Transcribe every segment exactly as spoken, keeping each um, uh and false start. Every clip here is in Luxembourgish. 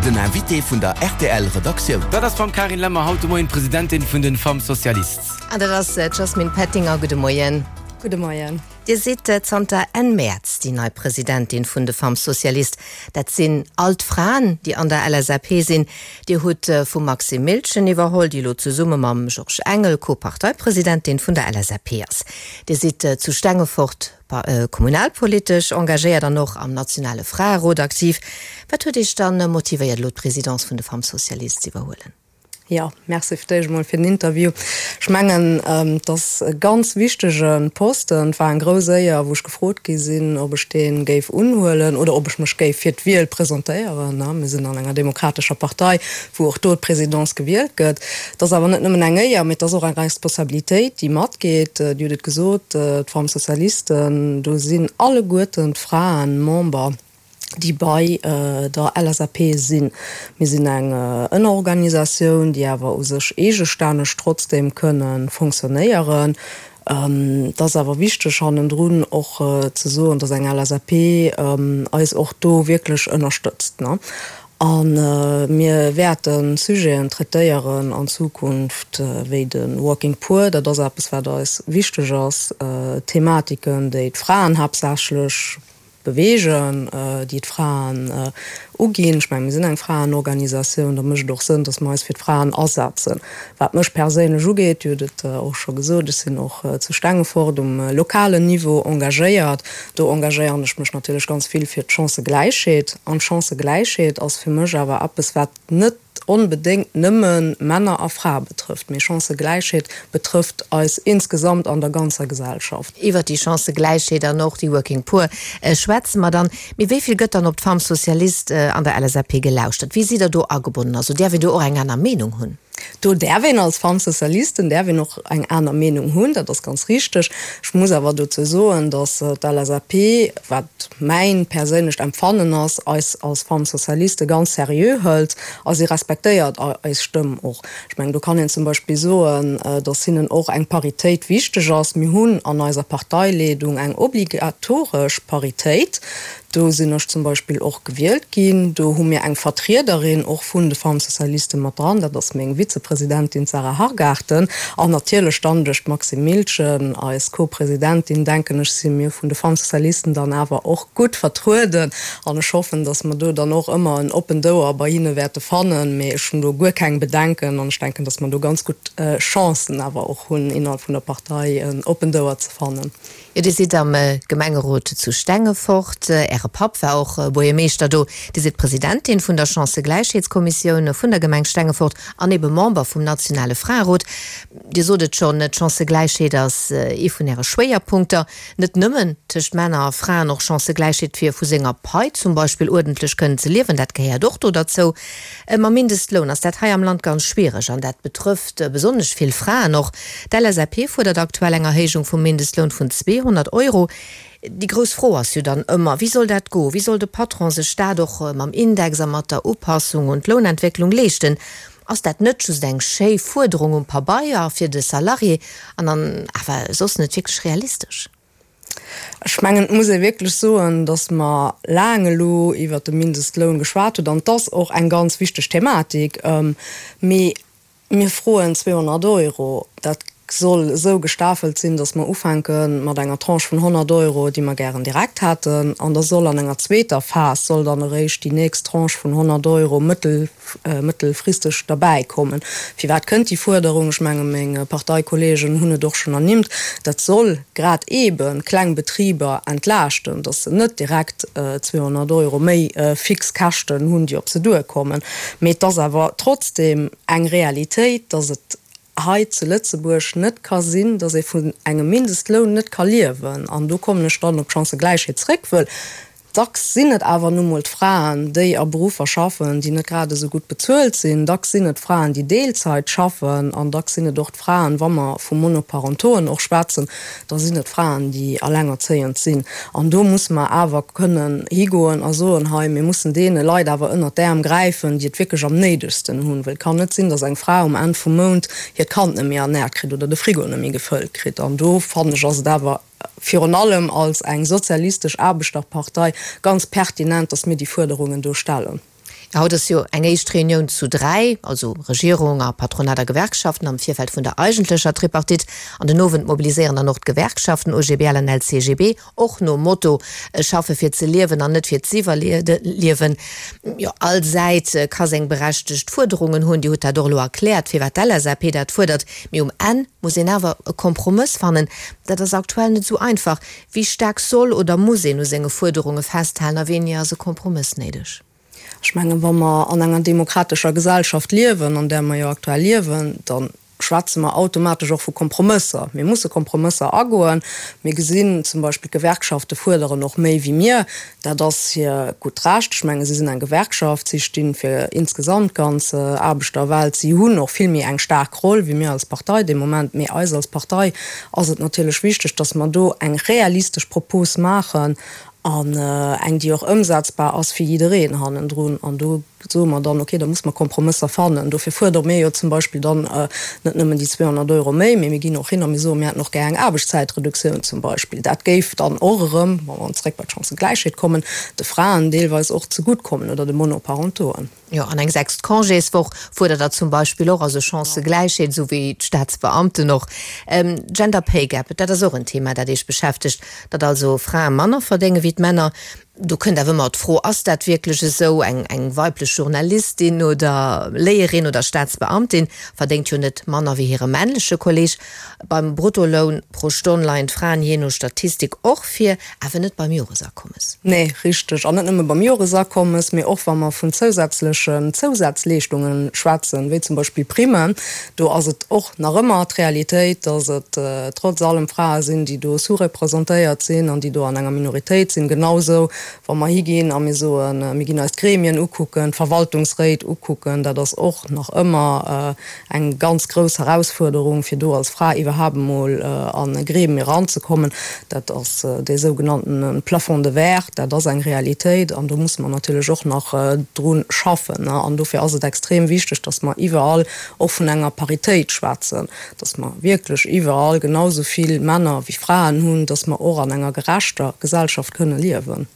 Den Invité vun der R T L Redaktioun. Dat ass d'Madamm Carine Lemmer, haut de Moien Presidentin vun den Femmes Socialistes. An dat ass d'Jasmine Pettinger. Gudde Moien. Gudde Moien. Dir sidd zanter Enn Mäerz déi nei Presidentin vun de Femmes Socialistes. Dat sinn all d'Fraen, déi an der L S A P sinn. Dir hutt vum Maxime Miltgen iwwerholl, déi lo zesumme mam Georges Engel Co-Parteipresidentin vun der L S A P ass. Dir sidd zu Stengefort kommunalpolitesch engagéiert an och am nationale Fraerot aktiv. Wat huet Iech dann motivéiert, lo d'Presidence vun de Femmes Socialistes ze iwwerhuelen? Ja, merci fir d'éischt mol fir den Interview. Ech mengen, dat ass e ganz wichtege Posten. Et war eng grouss Éier, wou ech gefrot gi sinn, ob ech dee géif unhuelen oder ob ech mech géif fir d'Wiel presentéieren. Mir sinn an enger demokratescher Partei, wou och do d'Presidence gewielt gëtt. Dat ass awer net nëmmen eng Éier, mee et ass och eng Responsabilitéit, déi matgeet. Dir hutt et gesot, d'Femmes Socialistes, do sinn alleguerten d'Fraen Member, déi bei der L S A P sinn. Mir sinn eng Ënnerorganisatioun, déi awer u sech eegestänneg trotzdem kënne fonctionnéieren. Et ass awer wichteg hannendrun och ze soen, datt eng L S A P eis och do wierklech ënnerstëtzt. A mir wäerte Sujeten traitéieren an Zukunft wéi de Working Poor, dat ass eppes wat eis wichteg ass, Thematiken, déi d'Fraen haaptsächlech beweegen, déi d'Fraen uginn. Ech mengen, mir sinn eng Fraenorganisatioun, da mécht et och Sënn, datt mer eis fir d'Fraen asetzen. Wat mech perséinlech ugeet, Dir hutt et och scho gesot, ech sinn och zu Stengefort um lokalen Niveau engagéiert. Do engagéieren ech mech natierlech ganz vill fir d'Chancëgläichheet. An d'Chancëgläichheet ass fir mech awer eppes, wat net onbedéngt nëmme Männer a Frae betrëfft, mee Chancëgläichheet betrëfft eis insgesamt an der ganzer Gesellschaft. Iwwer déi Chancëgläichheet an och déi Working Poor schwätze mer dann. Mee wéi vill gëtt dann op d'Femmes Socialistes an der L S A P gelauschtert? Wéi sidd Der do agebonnen? Also däerf een do och eng aner Meenung hunn? Do däerf een als Femmes Socialistes däerf een och eng aner Meenung hunn, dat ass ganz richteg. Ech muss awer dozou soen, datt d'L S A P, wat mäin perséinlecht Empfannen ass, eis als Femmes Socialistes ganz seriö hëlt a si respektéiert eis Stëmm och. Ech mengen, do kann een zum Beispill soen, datt hinnen och eng Paritéit wichteg ass. Mir hunn an eiser Parteileedung eng obligatoresch Paritéit. Do sinn ech zum Beispill och gewielt ginn. Do hu mir eng Vertriederin och vun de Femmes Socialistes mat dran, dat ass meng Vizepresidentin Sarah Hargarten. An natierlech dann duerch d'Maxime Miltgen, eis Co-Presidentin, denken ech, si mir vun de Femmes Socialistes dann awer och gutt vertrueden. An ech hoffen, datt mer do dann och ëmmer en oppent Ouer bei hinne wäerte fannen. Mee ech hunn do guer keng Bedenken an ech denken, datt mer do ganz gutt Chancen awer och hunn, innerhalb vun der Partei en oppent Ouer ze fannen. Jo, Dir sidd am Gemengerot zu Stengefort. Äre Papp war och Buergermeeschter do. Dir sidd Presidentin vun der Chancëgläichheetskommissioun vun der Gemeng Stengefort an ebe Member vum nationale Fraerot. Dir sot et schonn, d'Chancëgläichheet ass ee vun Äre Schwéierpunkter. Net nëmmen tëscht Männer a Fraen, och Chancëgläichheet fir vu senger Pai zum Beispill uerdentlech kënnen ze liewen, dat gehéiert och do derzou. Mam Mindestloun ass dat hei am Land ganz schwiereg an dat betrëfft besonnesch vill Fraen och. D'L S A P fuerdert aktuell eng Erhéijung vum Mindestloun vun zweehonnert Euro. Déi grouss Fro ass jo dann ëmmer, wéi soll dat goen? Wéi soll de Patron sech dat och mam Index a mat der Upassung un d'Lounentwécklung leeschten? Ass dat net just eng schéi Fuerderung um Pabeier fir de Salarié an dann awer soss net wierklech realistesch? Ech mengen, et muss ee wierklech soen, datt mer laang elo iwwert de Mindestloun geschwat hunn an et ass och eng ganz wichteg Thematik. Mee mir froen zweehonnert Euro. Dat soll esou gestafelt sinn, datt mer ufänke mat enger Tranche vun honnert Euro, déi mer gären direkt hätten, an da soll an enger zweeter Phas soll dann eréischt déi nächst Tranche vun honnert Euro mëttel mëttelfristeg derbäikommen. Firwat kënnt déi Fuerderung? Ech menge meng Parteikolleegen hunn et och schonn ernimmt, dat soll grad eebe kleng Betriber entlaaschten, datt se net direkt zweehonnert Euro méi fix Käschten hunn, déi op se duerkommen. Mee et ass awer trotzdeem eng Realitéit, datt et hei zu Lëtzebuerg net ka sinn, datt ee vun engem Mindestloun net ka liewen. An do kommen ech dann op d'Chancëgläichheet zréck, wëll dacks sinn et awer nu mol d'Fraen, déi a Beruffer schaffen, déi net grad esou gutt bezuelt sinn. Dacks sinn et Fraen, déi Deelzäit schaffen an dacks sinn et och d'Fraen, wa mer vu Monoparentoen och schwätzen, da sinn et Fraen, déi allengerzéiend sinn. An do musse mer awer kënnen higoen a soen, hei, mir mussen deene Leit awer ënnert d'Äerm gräifen, déi et wierklech am néidegsten hunn. Well et kann net sinn, datt eng Fra um Enn vum Mount hiert Kand net méi ernäert kritt oder de Frigo net méi gefëllt kritt. An do fannen ech, ass et awer virun allem als eng sozialistesch Aarbechterpartei ganz pertinent, dass mir déi Fuerderungen do stellen. Haut ass jo eng éischt Reunioun zu dräi, also Regierung a Patronat a Gewerkschaften, am Virfeld vun der eigentlecher Tripartite. An den Owend mobiliséieren dann och d'Gewerkschaften O G B L an L C G B, och nom Motto Schaffe fir ze liewen an net fir z'iwwerliewen. Jo, all Säit ka seng berechtegt Fuerderungen hunn, Dir hutt dat och elo erkläert, firwat d'L S A P dat fuerdert, mee um Enn muss een awer e Kompromëss fannen. Dat ass aktuell net esou einfach. Wéi staark soll oder muss een u senge Fuerderunge festhalen a wéini ass e Kompromëss néideg? Ech mengen, wa mer an enger demokratescher Gesellschaft liewen, an där mer jo aktuell liewen, da schwätze mer automatesch och vu Kompromësser. Mir musse Kompromësser agoen. Mir gesinn zum Beispill, d'Gewerkschafte fuerderen och méi wéi mir. Dat ass hir gutt Recht. Ech menge si sinn eng Gewerkschaft, si sti fir insgesamt d'ganz Aarbechterwelt. Si hunn och vill méi eng staark Roll wéi mir als Partei dee Moment. Mee eis als Partei ass et natierlech wichteg, datt mer do eng realistesch Propos maachen an eng, déi och ëmsetzbar ass fir jiddereen hannendrun. An do soe mer dann, okay, da muss mer Kompromësser fannen. Dofir fuerdere mir jo zum Beispill dann net nëmmen déi zweehonnert Euro méi, mee mir ginn och hin a mir soen, mir hätten och gär eng Aarbechtszäitreduktioun zum Beispill. Dat géif dann och erëm, wa mer zréck bei d'Chancëgläichheet kommen, de Fraen deelweis och zegutt kommen oder de Monoparentoen. Jo, an eng sechst Congéswoch fuerdert Der zum Beispill och, also Chancëgläichheet, esou wéi d'Staatsbeamten och. Gender Pay Gap, dat ass och en Thema, dat Iech beschäftegt, datt also Frae manner verdénge wéi d'Männer. Do kënnt awer ëmmer d'Fro, Ass dat wierklech esou? Eng eng weiblech Journalistin oder Léierin oder Staatsbeamtin verdéngt jo net manner wéi hire männleche Kolleeg. Beim Bruttoloun pro Stonn leien d'Fraen jee no Statistik och vir, awer net beim Joresakommes. Nee, richteg. An net nëmme beim Joresakommes, mee och wa mer vun zousätzlechen Zousazleeschtungen schwätzen, wéi zum Beispill Primmen, do ass et och nach ëmmer d'Realitéit, dass et trotz allem Frae sinn, déi do sous-representéiert sinn an déi do an enger Minoritéit sinn. Genausou wa mer higinn a mir soen, mir ginn eis d'Gremien ukucken, d'Verwaltungsréit ukucken, dat ass och nach ëmmer eng ganz grouss Herausfuerderung, fir do als Fra iwwerhaapt emol an e Gremium eranzekommen. Dat ass dee sougenannten Plafond de verre, dat ass eng Realitéit an do musse mer natierlech och nach dru schaffen. An dofir ass et extrem wichteg, dass mer iwwerall och vun enger Paritéit schwätzen, dass mer wierklech iwwerall genau esou vill Männer wéi Fraen hunn, dass mer och an enger gerechter Gesellschaft kënne liewen.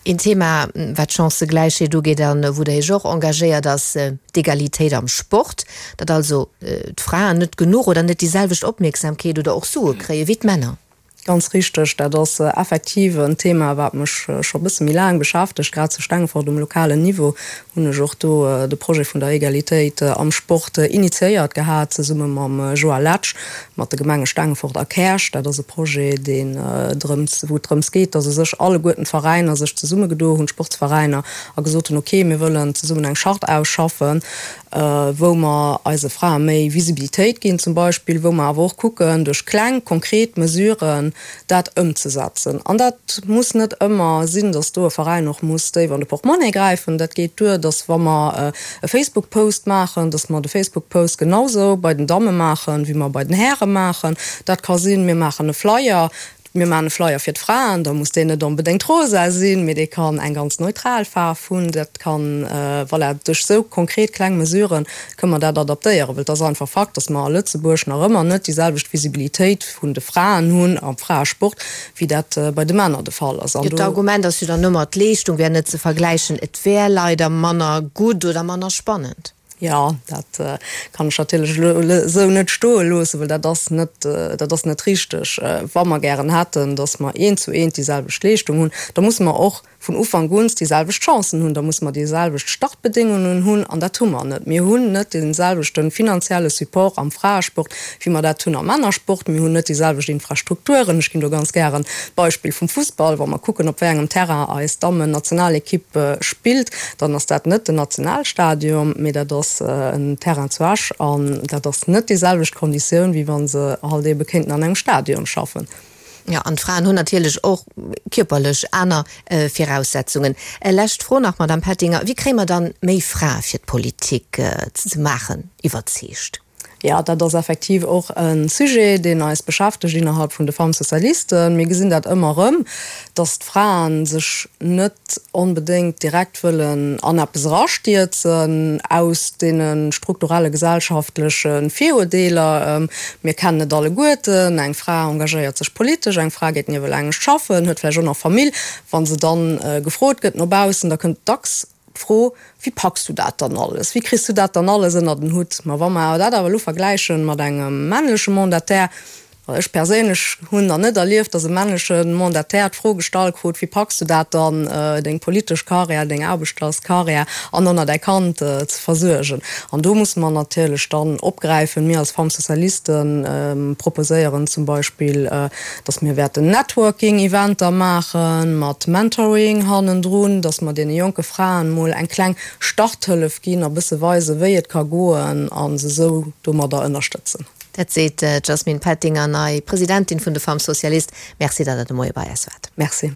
Een Thema, wat d'Chancëgläichheet ugeet an wou Der Iech och engagéiert, ass d'Egalitéit am Sport, datt also d'Fraen net genuch oder net déi selwecht Opmierksamkeet oder och Sue kréie wéi d'Männer. Ganz richteg, dat ass effektiv en Thema, wat mech scho e bësse méi laang beschäftegt. Grad zu Stengefort um lokalen Niveau hunn ech och do de Projet vun der Egalitéit am Sport initiéiert gehat, zesumme mam Joa Letsch, mat de Gemenge Stengefort a Käerch. Dat ass e Projet, deen drëms, wou et drëms geet, dass u sech alleguerten d'Veräiner sech zesummegedo hunn, d'Sportsveräiner, a gesot hunn, okay, mir wëllen zesummen eng Charte ausschaffen, wou mer eise Frae méi Visibilitéit ginn zum Beispill, wou mer awer och kucken, duerch kleng, konkret Mesuren dat ëmzesetzen. An dat muss net ëmmer sinn, dass do e Veräin och muss déif an de Portemonnaie gräifen. Dat geet duer, dass wa mer e Facebook-Post maachen, dass mer de Facebook-Post genausou bei den Damme maachen, wéi mer bei den Häre maachen. Dat ka sinn, mir maachen e Flyer, mir maachen e Flyer fir d'Fraen, da muss deen net onbedéngt rosa sinn, mee dee kann eng ganz neutral Faarf hunn. Dat kann, voilà, duerch esou konkret kleng Mesurë kënne mer dat adaptéieren, well et ass einfach Fakt, dass mer a Lëtzebuerg nach ëmmer net déi selwecht Visibilitéit vun de Fraen hunn am Fraesport, wéi dat bei de Männer de Fall ass. An do. D'Argument ass jo dann ëmmer, d'Leeschtung wär net ze vergläichen, et wär leider manner gutt oder manner spannend. Jo, dat kann ech natierlech elo esou net stoe loossen, well dat ass net, dat ass net richteg. Wa mer gären hätten, datt mer eent zu eent déi selwecht Leeschtung hunn, da musse mer och vun Ufank un déi selwecht Chancen hunn, da musse mer déi selwecht Startbedéngungen hunn, an dat hu mer net. Mir hunn net dee selwechte finanzielle Support am Fraesport, wéi mer dat hunn am Männersport. Mir hunn net déi selwecht Infrastrukturen. Ech ginn do ganz gären d'Beispill vum Fussball. Wa mer kucken, op wéi engem Terrain eis Dammen-Nationalekipp spillt, dann ass dat net den Nationalstadion, mee dat ass en Terrain zu Esch an dat ass net déi selwecht Konditioun, wéi wa se halt eebe kéinten an engem Stadion schaffen. Jo, an d'Fraen hunn natierlech och kierperlech aner Viraussetzungen. Lescht Fro nach, Madamm Pettinger, Wéi kréie mer dann méi Frae fir d'Politik ze maachen iwwerzeegt? Jo, dat ass effektiv och e Sujet, deen eis beschäftegt innerhalb vun de Femmes socialistes. Mir gesinn dat ëmmer erëm, dass d'Frae sech net onbedéngt direkt wëllen an eppes erastierzen aus deene strukturelle gesellschaftleche Virurdeeler. Mir kennen et alleguerten, Eng Fra engagéiert sech politesch, eng Fra geet niewelaangscht schaffen, huet vläicht och nach Famill. Wa se dann gefrot gëtt no baussen, da kënnt dacks d'Fro, Wéi packs du dat dann alles? Wéi kriss du dat dann alles ënner den Hutt? Ma wa mer dat awer elo vergläiche mat engem männleche Mandataire, Ech perséinlech hunn nach net erlieft, datt e männleche Mandataire d'Fro gestallt krut, Wéi packs du dat dann, deng politesch Karriär, deng Aarbechterskarriär an dann nach däi Kand ze versuergen? An do musse mer natierlech dann opgräifen. Mir als Femmes Socialistes proposéieren zum Beispill, datt mir wäerten Networking-Eventer maache mat Mentoring hannendrun, datt mer deene jonke Fraen emol eng kleng Starthëllef ginn a bësse weisen, wéi et ka goen a se esou domadder ënnerstëtzen. Dat seet d'Jasmine Pettinger, nei Presidentin vun de Femmes Socialistes. Merci, datt Der de Moie bei eis waart. Merci.